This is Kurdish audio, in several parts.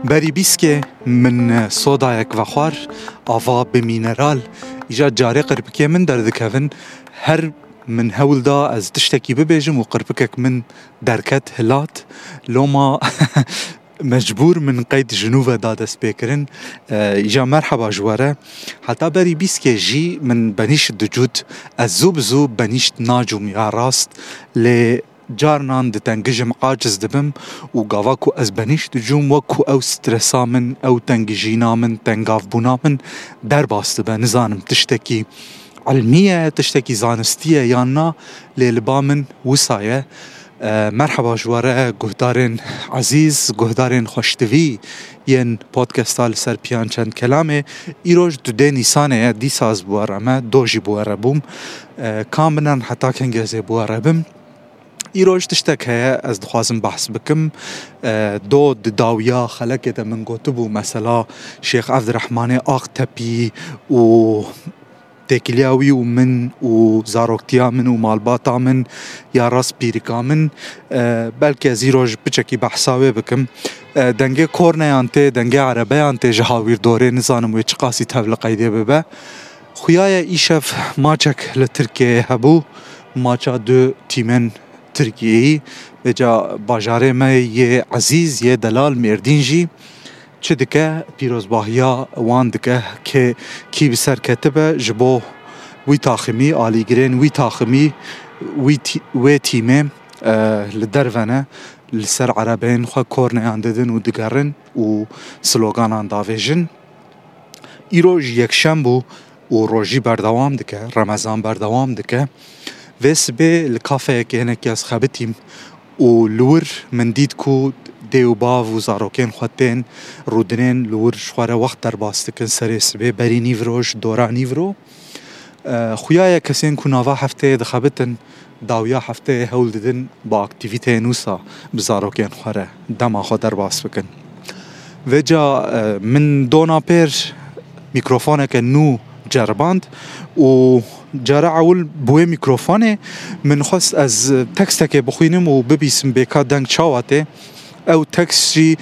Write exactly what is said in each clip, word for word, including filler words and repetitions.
Berî bîskê min sodayek vexwar, ava bi mîneral. Îca carê qirpikê min derdikevin. Her min hewl da ez tiştekî bibêjim û qirpikek min derket, hilat. Loma mecbûr min qeyd ji nû ve da destpêkirin. E, îca merheba ji we re. Heta berî bîskê jî min benîşt dicût. Ez zû bi zû benîşt nacûm ya rast. Lê carnan ditengijim, aciz dibim û gava ku ez benîşt dicûm, wek ku ew stresa min, ew tengijîna min, tengavbûna min derbas dibe. Nizanim tiştekî ilmî ye, tiştekî zanistî ye yan na, lê li ba min wisa ye. E, merheba ji we re guhdarên ezîz, guhdarên xweştivî yên podcasta Li Ser Piyan Çend Kelamê. Îroj dudê Nîsanê ye, dîsa ez bi we re me, do jî bi we re bûm. E, kam binan heta kengê ez ê bi we re bim. Îroj tiştek heye, ez dixwazim behs bikim. E, do di dawiya xelekê de min gotibû, mesela Şêx Evdirehmanê Aqtepî û têkiliya wî û min û zaroktiya min û malbata min ya rast pîrika min. E, belkî ez îroj piçekî behsa wê bikim. E, dengê korneyan tê, dengê erebeyan tê ji hawîrdorê, nizanim wê çiqasî tevli qeydê bibe. Xuya ye îşev maçek li Tirkiyeyê hebû, maça du tîmên Tirkiyeyî, vêca bajarê me yê ezîz, yê delal Mêrdîn jî çi dike, pîrozbahiya wan dike, kê, kî bi ser ketibe ji bo wî taximî, alîgirên wî taximî, wî tî-, wê tîmê, e, li derve ne, li ser erebeyên xwe korneyan didin û digerin û sloganan davêjin. Îro ji yekşem bû û rojî berdewam dike, Remezan berdewam dike. Vê sibê li kafeyekê hinekî ez xebitîm û li wir min dît ku dê û bav û zarokên xwe tên rûdinên li wir ji xwe re wext derbas dikin serê sibê berî nîvro ji dora nîvro. E, xuya ye kesên ku nava hefteyê dixebitin, dawiya hefteyê hewl didin bi aktîvîteyên wisa bi zarokên xwe re dema xwe derbas bikin. Vêca, e, min dona pêr mîkrofoneke nû ceriband û cara ewil bi wê mîkrofonê min xwest ez tekstekê bixwînim û bibîsim bêka deng çawa tê. Ew tekst jî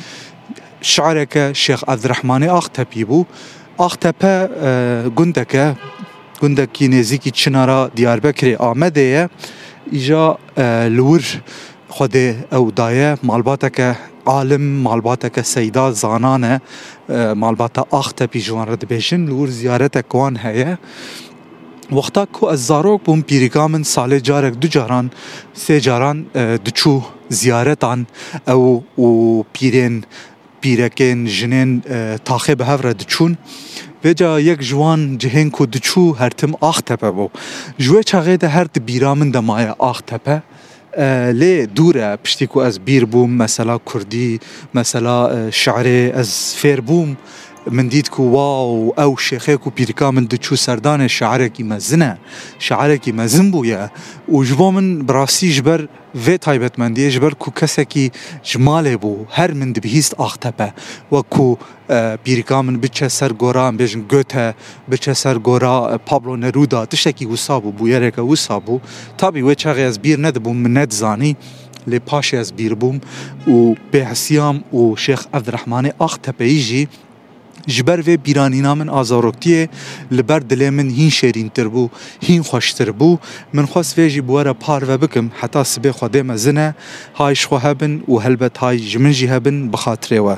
şi'reke Şêx Evdirehmanê Aqtepî bû. Aqtepe, e, gundeke, gundekî nêzîkî çinara Diyarbekirê Amedê ye. Îja, e, li wir Xwedê ew daye, malbateke alim, malbateke seyda, zanan e, e, malbata Aqtepî ji wan re dibêjin, li wir ziyaretek wan heye. Wexta ku ez zarok bûm, pîrika min salê carek, du caran, sê caran, e, diçû ziyaretan, ew û pîrên, pîrekên, jinên, e, taxê bi hev re diçûn. Vêca yek ji wan cihên ku diçû her tim Axtepe bû. Ji wê çaxê de her di bîra min de maye Axtepe. E, lê dûr e, piştî ku ez bîr bûm, mesela kurdî, mesela, e, şi'rê ez fêr bûm, min dît ku, wow, ew şêxê ku pîrika min diçû serdanê şi'rekî mezin e, şi'rekî mezin bûye û ji bo min bi rastî ji ber vê taybetmendiyê, ji ber ku kesekî ji malê bû, her min dibihîst Axtepe, wek ku, e, pîrika min biçe ser gora, em bêjin Goethe, biçe ser gora, e, Pablo Neruda, tiştekî wisa bû, bûyereke wisa bû. Tabî wê çaxê ez bîr nedibûm, min nedizanî, lê paşê ez bîr bûm û bêhesiyam û Şêx Evdirehmanê Axtepeyî jî ji ber vê bîranîna min a zaroktiyê li ber dilê min hîn şêrîntir bû, hîn xweştir bû. Min xwest vê jî bi we re parve bikim, heta sibê Xwedê mezin e, hay ji xwe hebin û helbet hay ji min jî hebin bi xatirê we.